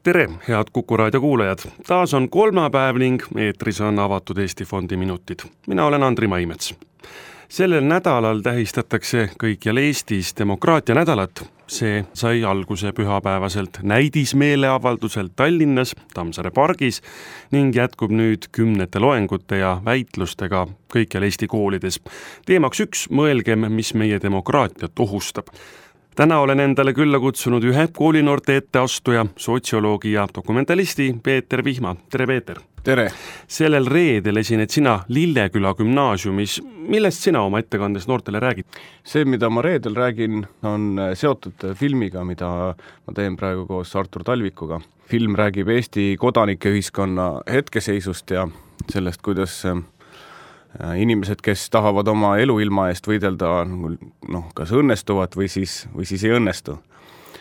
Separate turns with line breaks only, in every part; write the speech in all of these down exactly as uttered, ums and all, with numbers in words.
Tere, head Kuku Raadio kuulajad! Taas on kolmapäev ning eetris on avatud Eesti Fondi minutid. Mina olen Andri Maimets. Sellel nädalal tähistatakse kõikjal Eestis demokraatia nädalat. See sai alguse pühapäevaselt näidismeeleavalduselt Tallinnas, Tammsaare pargis ning jätkub nüüd kümnete loengute ja väitlustega kõikjal Eesti koolides. Teemaks üks, mõelgem, mis meie demokraatiat ohustab. Täna olen endale külla kutsunud ühe koolinoorte etteastuja, sotsioloogi ja dokumentalisti Peeter Vihma. Tere, Peeter!
Tere!
Sellel reedel esined sina Lilleküla gümnaasiumis. Millest sina oma ettekandes noortele räägid?
See, mida ma reedel räägin, on seotud filmiga, mida ma teen praegu koos Artur Talvikuga. Film räägib Eesti kodanike ühiskonna hetkeseisust ja sellest, kuidas inimesed, kes tahavad oma eluilma eest võidelda, noh, kas õnnestuvad või siis, või siis ei õnnestu.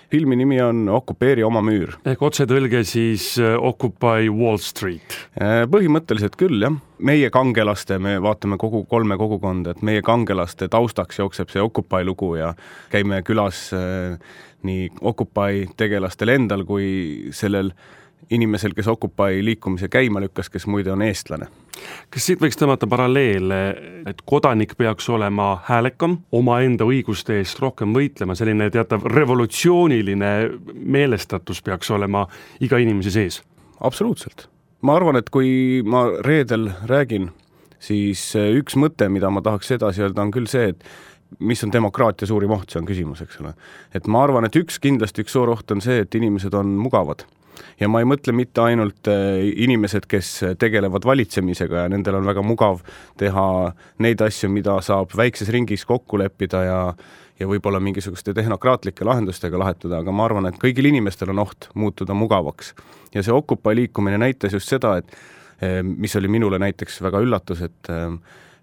Filmi nimi on Okupeeri oma müür.
Ehk otsetõlge siis Occupy Wall Street.
Põhimõtteliselt küll, jah. Meie kangelaste, me vaatame kogu kolme kogukonda, et meie kangelaste taustaks jookseb see Occupy lugu ja käime külas nii Occupy tegelastel endal kui sellel inimesel, kes Occupy liikumise käima lükkas, kes muide on eestlane.
Kas siit võiks tõmmata paralleele, et kodanik peaks olema häälekam, oma enda õiguste eest rohkem võitlema, selline teatav revolutsiooniline meelestatus peaks olema iga inimese sees?
Absoluutselt. Ma arvan, et kui ma reedel räägin, siis üks mõte, mida ma tahaks edasi öelda, on küll see, et mis on demokraatia suurim oht, see on küsimus, eks ole. Et ma arvan, et üks kindlasti üks suur oht on see, et inimesed on mugavad. Ja ma ei mõtle mitte ainult inimesed, kes tegelevad valitsemisega ja nendel on väga mugav teha neid asju, mida saab väikses ringis kokku leppida ja, ja võib-olla mingisuguste tehnokraatlike lahendustega lahetada, aga ma arvan, et kõigil inimestel on oht muutuda mugavaks. Ja see Occupy liikumine näitas just seda, et mis oli minule näiteks väga üllatus, et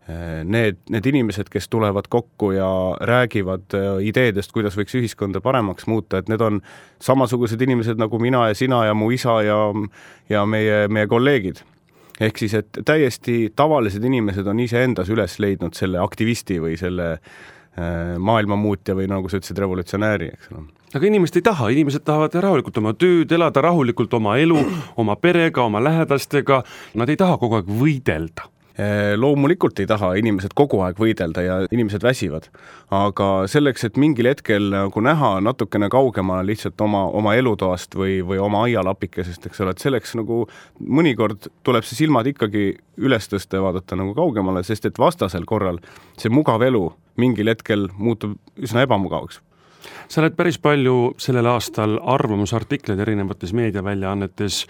Need, need inimesed, kes tulevad kokku ja räägivad ideedest, kuidas võiks ühiskonda paremaks muuta, et need on samasugused inimesed nagu mina ja sina ja mu isa ja, ja meie, meie kolleegid. Ehk siis, et täiesti tavalised inimesed on ise endas üles leidnud selle aktivisti või selle maailmamuutja või nagu sa ütlesid, revolutsionääri, eks ole.
Aga inimesed ei taha, inimesed tahavad rahulikult oma tööd, elada rahulikult oma elu, oma perega, oma lähedastega. Nad ei taha kogu aeg võidelda.
Loomulikult ei taha inimesed kogu aeg võidelda ja inimesed väsivad, aga selleks, et mingil hetkel nagu näha natukene kaugemale lihtsalt oma, oma elutoast või, või oma aialapikesest, eks ole, et selleks nagu mõnikord tuleb see silmad ikkagi üles tõsta ja vaadata nagu kaugemale, sest et vastasel korral see mugav elu mingil hetkel muutub üsna ebamugavaks.
Sa oled päris palju sellel aastal arvamusartikleid erinevates meediaväljaannetes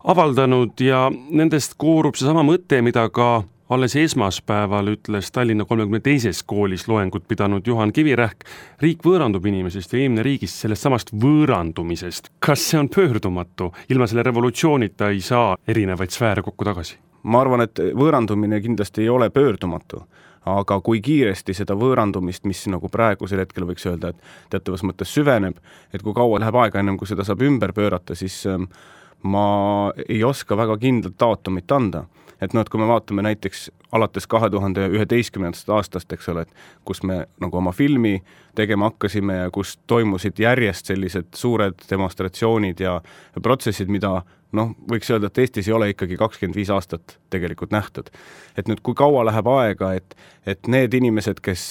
avaldanud ja nendest koorub see sama mõte, mida ka alles esmaspäeval ütles Tallinna kolmekümne teises koolis loengut pidanud Juhan Kivirähk. Riik võõrandub inimesest ja inimene riigist sellest samast võõrandumisest. Kas see on pöördumatu? Ilma selle revolutsioonita ei saa erinevaid sfääre kokku tagasi.
Ma arvan, et võõrandumine kindlasti ei ole pöördumatu. Aga kui kiiresti seda võõrandumist, mis nagu praegusel hetkel võiks öelda, et teatavas mõttes süveneb, et kui kaua läheb aega ennem, kui seda saab ümber pöörata, siis ma ei oska väga kindlalt daatumit anda. Et no, et kui me vaatame näiteks alates kahe tuhande üheteistkümnendast aastast, eks ole, et kus me nagu oma filmi tegema hakkasime ja kus toimusid järjest sellised suured demonstratsioonid ja protsessid, mida noh, võiks öelda, et Eestis ei ole ikkagi kakskümmend viis aastat tegelikult nähtud. Et nüüd, kui kaua läheb aega, et, et need inimesed, kes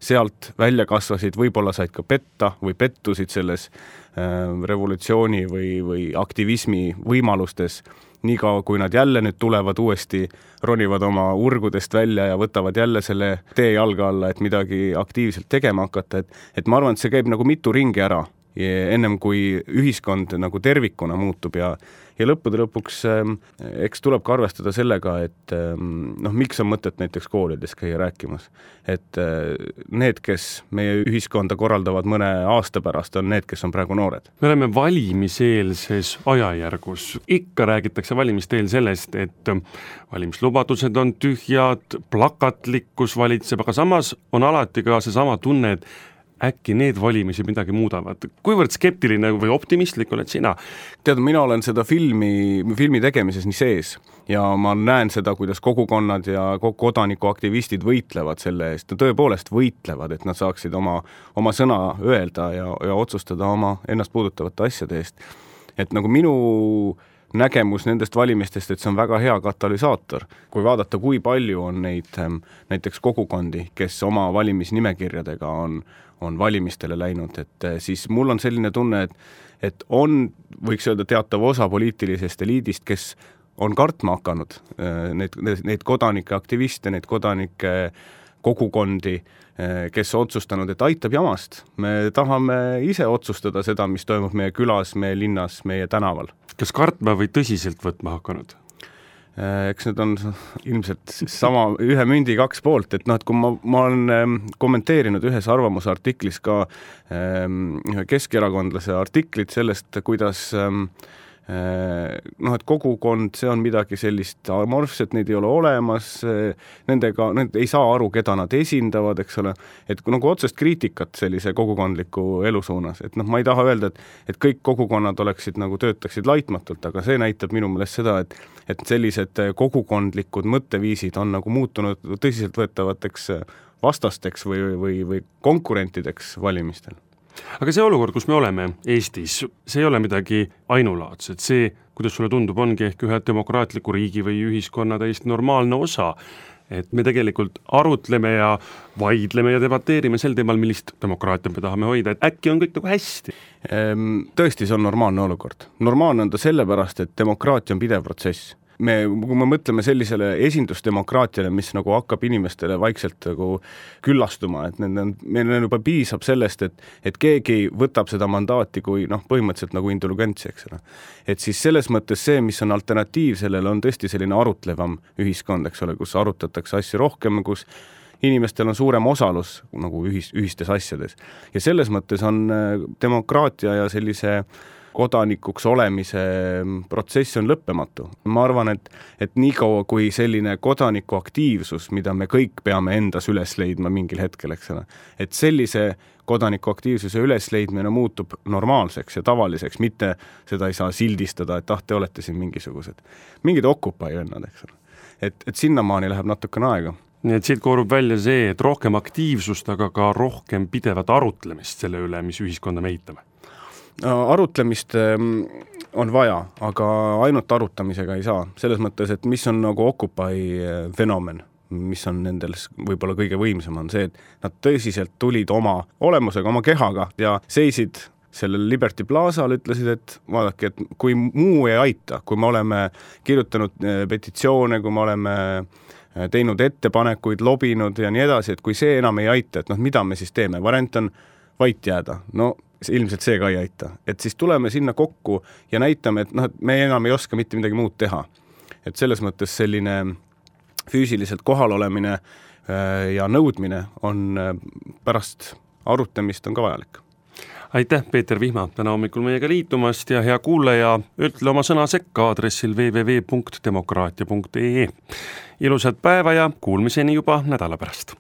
sealt välja kasvasid, võib-olla said ka petta või pettusid selles äh, revolutsiooni või, või aktivismi võimalustes, niikaua kui nad jälle nüüd tulevad uuesti, ronivad oma urgudest välja ja võtavad jälle selle tee jalga alla, et midagi aktiivselt tegema hakata, et, et ma arvan, et see käib nagu mitu ringi ära, ennem kui ühiskond nagu tervikuna muutub ja, ja lõppude lõpuks ähm, eks tuleb ka arvestada sellega, et ähm, noh, miks on mõtet näiteks koolides käia rääkimas, et äh, need, kes meie ühiskonda korraldavad mõne aasta pärast, on need, kes on praegu noored.
Me oleme valimiseelses ajajärgus. Ikka räägitakse valimisteel sellest, et valimislubadused on tühjad, plakatlikkus valitseb, aga samas on alati ka see sama tunne, et äkki need valimisi midagi muudavad. Kuivõrd skeptiline või optimistlik oled sina?
Tead, mina olen seda filmi, filmi tegemises nii sees ja ma näen seda, kuidas kogukonnad ja kodanikuaktivistid võitlevad selle eest. Tõepoolest võitlevad, et nad saaksid oma, oma sõna öelda ja, ja otsustada oma ennast puudutavate asjade eest. et nagu minu nägemus nendest valimistest, et see on väga hea katalüsaator. Kui vaadata, kui palju on neid näiteks kogukondi, kes oma valimisnimekirjadega on, on valimistele läinud, et siis mul on selline tunne, et, et on, võiks öelda, teatav osa poliitilisest eliidist, kes on kartma hakanud neid, neid kodanike aktiviste, neid kodanike kogukondi, kes otsustanud, et aitab jamast. Me tahame ise otsustada seda, mis toimub meie külas, meie linnas, meie tänaval.
Kas kartma või tõsiselt võtma hakanud?
Eks need on ilmselt sama ühe mündi kaks poolt, et noh, et kui ma, ma olen kommenteerinud ühes arvamusartiklis ka ühe keskerakondlase artiklit sellest, kuidas noh, et kogukond, see on midagi sellist amorfset, neid ei ole olemas, nendega, need ei saa aru, keda nad esindavad, eks ole, et nagu otsest kriitikat sellise kogukondliku elu suunas, et noh, ma ei taha öelda, et, et kõik kogukonnad oleksid nagu töötaksid laitmatult, aga see näitab minu meelest seda, et, et sellised kogukondlikud mõtteviisid on nagu muutunud tõsiseltvõetavateks vastasteks või, või, või konkurentideks valimistel.
Aga see olukord, kus me oleme Eestis, see ei ole midagi ainulaadset. See, kuidas sulle tundub, ongi ehk ühe demokraatliku riigi või ühiskonna täiesti normaalne osa. Et me tegelikult arutleme ja vaidleme ja debateerime sel teemal, millist demokraatia me tahame hoida. Et äkki on kõik nagu hästi?
Tõesti, see on normaalne olukord. Normaalne on ta sellepärast, et demokraatia on pidev protsess. Me, kui me mõtleme sellisele esindusdemokraatiale, mis nagu hakkab inimestele vaikselt nagu küllastuma, et need on, meil juba piisab sellest, et, et keegi võtab seda mandaati kui noh, põhimõtteliselt nagu indulgentsi, eks ole. Et siis selles mõttes see, mis on alternatiiv sellele, on tõesti selline arutlevam ühiskond, eks ole, kus arutatakse asju rohkem, kus inimestel on suurem osalus nagu ühis, ühistes asjades. Ja selles mõttes on demokraatia ja sellise kodanikuks olemise protsess on lõppematu. Ma arvan, et, et nii kaua kui selline kodanikuaktiivsus, mida me kõik peame endas üles leidma mingil hetkel, eks ole, et sellise kodanikuaktiivsuse ülesleidmine muutub normaalseks ja tavaliseks, mitte seda ei saa sildistada, et ah, te olete siin mingisugused, mingid okupai vennad, eks ole. Et, et sinnamaani läheb natukene aega.
Nii et siit koorub välja see, et rohkem aktiivsust, aga ka rohkem pidevat arutlemist selle üle, mis ühiskonda me eitame.
Arutlemist on vaja, aga ainult arutamisega ei saa. Selles mõttes, et mis on nagu Occupy fenomen, mis on nendel võib-olla kõige võimsam, on see, et nad tõsiselt tulid oma olemusega, oma kehaga ja seisid sellel Liberty Plazaal, ütlesid, et vaadake, et kui muu ei aita, kui me oleme kirjutanud petitsioone, kui me oleme teinud ettepanekuid, lobinud ja nii edasi, et kui see enam ei aita, et noh, mida me siis teeme? Variant on vait jääda. No ilmselt see ka ei aita. Et siis tuleme sinna kokku ja näitame, et noh, et me enam ei oska mitte midagi muud teha. Et selles mõttes selline füüsiliselt kohal olemine ja nõudmine on pärast arutamist on ka vajalik.
Aitäh, Peeter Vihma, täna hommikul meiega liitumast ja hea kuulaja, ütle oma sõna sekka aadressil w w w punkt demokraatia punkt e e. Ilusat päeva ja kuulmiseni juba nädala pärast.